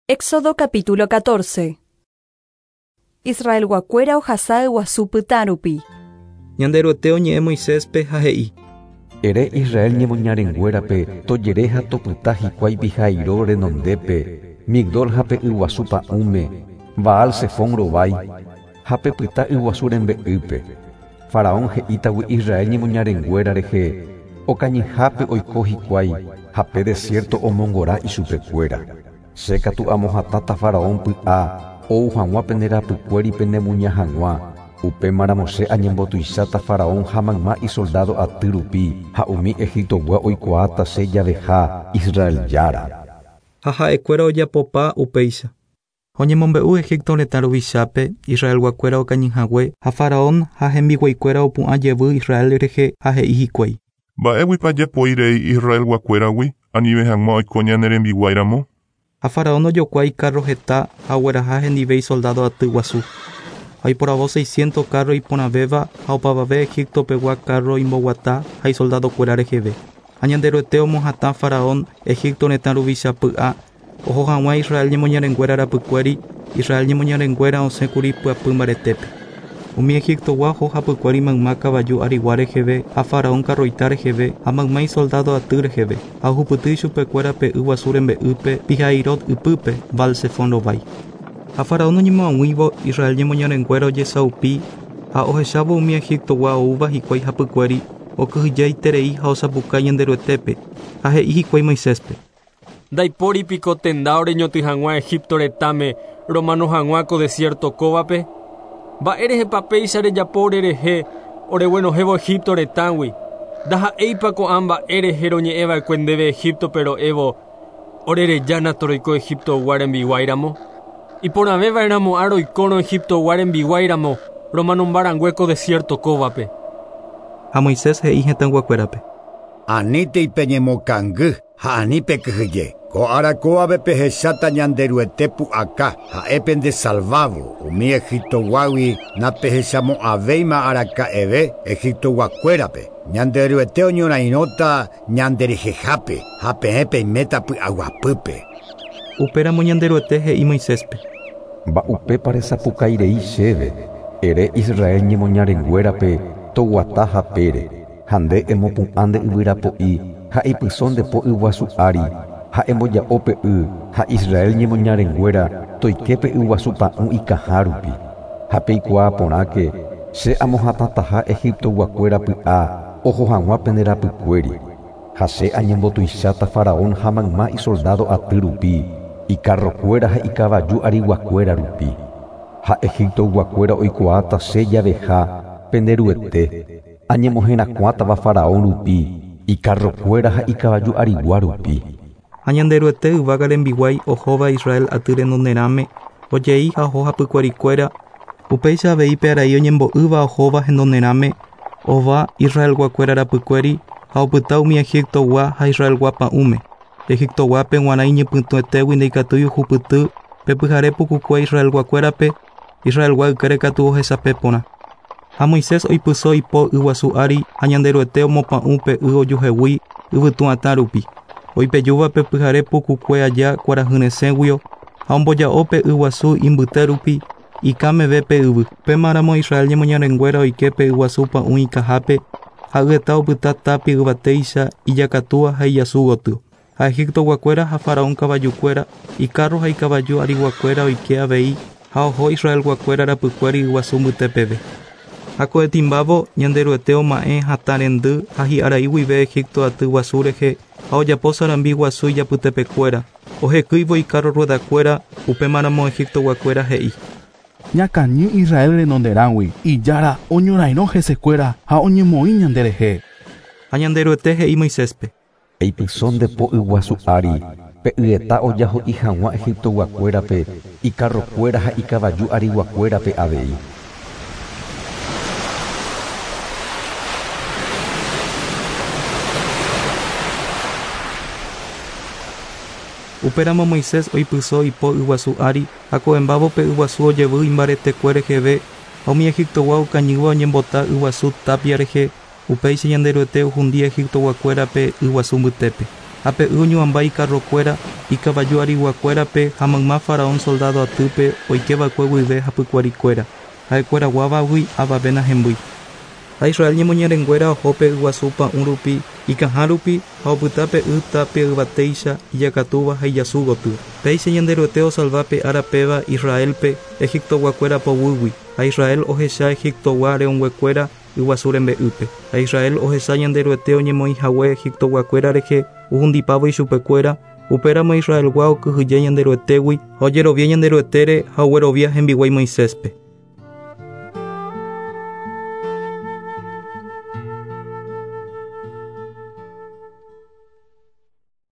Éxodo capítulo 14. Israelguakuéra ohasa yguasu pytã rupi. Ñanderuete oñe'ẽ Moiséspe ha he'i. Ere Israel ñemoñarenguérape tojere ha topyta hikuái Pihairot renondépe, Migdol ha pe yguasu pa'ũme, Baal Sefón rovái, ha pepyta yguasu rembe'ýpe. Faraón he'ítagui Israel ñemoñarenguéra rehe, okañyhápe oiko hikuái ha pe desierto omongora ichupekuéra. Che katu amohatãta Faraón py'a ou hag̃ua pende rapykuéri penemuña hag̃ua. Upémaramo che añembotuicháta Faraón ha mayma isoldádo aty rupi ha umi Egiptogua oikuaáta che javeha Israel Jára. Ha ha'ekuéra ojapopa upéicha. Oñemombe'u Egipto retã ruvichápe, Israelguakuéra okañyhague ha Faraón ha hembiguaikuéra opu'ã jevy Israel rehe ha he'i hikuái. Mba'éguipa japoírei Israelguakuéragui anive hag̃ua oiko ñane rembiguáiramo? Ha Faraón ojokuái carro heta ha ogueraha hendive isoldado aty guasu. Ha oiporavo 600 carro iporãvéva ha opavave Egiptopegua carro imboguata ha isoldadokuéra reheve. Ha Ñanderuete omohatã Faraón Egipto retã ruvicha py'a oho hag̃ua Israel ñemoñarenguéra rapykuéri, Israel ñemoñarenguéra osẽkuri pyapy mbaretépe. Umi Egiptogua oho hapykuéri mayma kavaju arigua reheve ha Faraón carroita reheve ha mayma isoldado aty reheve ha ohupyty ichupekuéra pe yguasu rembe'ýpe Pihairot ypýpe Baal Sefón rovái. Ha Faraón oñemoag̃uívo Israel ñemoñarenguéra ojesaupi ha ohechávo umi Egiptogua oúva hikuái hapykuéri okyhyjeiterei ha osapukái Ñanderuetépe ha he'i hikuái Moiséspe. Ndaipóripiko tenda oreñoty hag̃ua Egipto retãme romano hag̃ua ko desierto kóvape? Mba'érehepa péicha rejapo orerehe oreguenohẽvo Egipto retãgui? Ndaha'éipa ko'ã mba'érehe roñe'ẽva'ekue ndéve Egiptope ro'évo orerejána toroiko Egiptogua rembiguáiramo? Iporãvéva'erãmo'ã roikórõ Egiptogua rembiguáiramo romanombarangue ko desierto kóvape. Ha Moisés he'i hetãyguakuérape. Anítei peñemokangy ha ani pekyhyje. Ko ára kóvape pehecháta Ñanderuete pu'aka ha'e pendesalvávo umi Egiptoguágui napehechamo'ãvéima araka'eve Egiptoguakuérape. Ñanderuete oñorairõta ñanderehehápe ha peẽ peiméta py'aguapýpe. Upéramo Ñanderuete he'i Moiséspe. Mba'upépa resapukairei chéve, ere Israel ñemoñarenguérape toguata hapére, ha nde emopu'ã nde yvyrapo'i ha ipyso nde po yguasu ári ha emboja'o pe y ha Israel ñemoñarenguéra toike pe yguasu pa'ũ ikaha rupi. Ha peikuaa porãke che amohatãtaha Egiptoguakuéra py'a oho hag̃ua pende rapykuéri. Ha che añembotuicháta Faraón ha mayma isoldado aty rupi, icarrokuéra ha ikavaju ariguakuéra rupi. Ha Egiptoguakuéra oikuaáta che javeha penderuete añemoherakuãtava Faraón rupi, icarrokuéra ha ikavaju arigua rupi. Ha Ñanderuete yvága rembiguái ohóva Israel aty renonderãme ojei ha oho hapykuerikuéra upéicha avei pe arai oñembo'ýva ohóva henonderãme ova Israelguakuéra rapykuéri ha opyta umi Egiptogua ha Israelgua pa'ũme. Egiptoguápe g̃uarã iñypytũetégui ndaikatúi ohupyty pe pyhare pukukue Israelguakuérape, Israelgua ykére katu ohesape porã. Ha Moisés oipyso ipo yguasu ári ha Ñanderuete omopa'ũ pe y ojuhegui yvytu'atã rupi. Oipejúva pe pyhare pukukue aja kuarahyresẽguio ha omboja'o pe yguasu imbyte rupi ikãmeve pe yvy. Upémaramo Israel ñemoñarenguéra oike pe yguasu pa'ũ ikahápe ha yeta opyta tapi yvatéicha ijakatúa ha ijasu gotyo. Ha Egiptoguakuéra ha Faraón kavajukuéra, icarro ha ikavaju ariguakuéra oike avei ha oho Israelguakuéra rapykuéri yguasu mbytépeve. Ha ko'ẽtimbávo Ñanderuete oma'ẽ hatã rendy ha hi'arai guive Egipto aty guasu rehe ha ojapo sarambi guasu ijapytepekuéra. Ohekýivo icarro ruedakuéra upémaramo Egiptoguakuéra he'i. Ñakañy Israel renonderãgui ijára oñorairõ hesekuéra ha oñemoĩ ñanderehe. Ha Ñanderuete he'i Moiséspe. Eipyso nde po yguasu ári, pe yeta ojaho'i hag̃ua Egiptoguakuérape, icarrokuéra ha ikavaju ariguakuérape avei. Upéramo Moisés oipyso ipo yguasu ári ha ko'ẽmbávo pe yguasu ojevy imbaretekue reheve ha umi Egiptogua okañýva oñembota yguasu tapia rehe upéicha Ñanderuete ohundi Egiptoguakuérape yguasu mbytépe. Ha pe y oñuamba ikarrokuéra, ikavaju ariguakuérape ha mayma faraón soldado atýpe oikeva'ekue guive hapykuerikuéra. Ha'ekueraguávagui avave nahembýi. Ha Israel ñemoñarenguéra oho pe yguasu pa'ũ rupi, ikãha rupi ha opyta pe y tapia yvatéicha ijakatúva ha ijasu gotyo. Péicha Ñanderuete osalva pe ára péva Israelpe Egiptoguakuéra poguýgui ha Israel ohecha Egiptogua re'õnguekuéra yguasu rembe'ýpe. Ha Israel ohecha Ñanderuete oñemoĩhague Egiptoguakuéra rehe ohundipávo ichupekuéra, upéramo Israelgua okyhyje Ñanderuetégui ha ojerovia Ñanderuetére ha oguerovia hembiguái Moiséspe.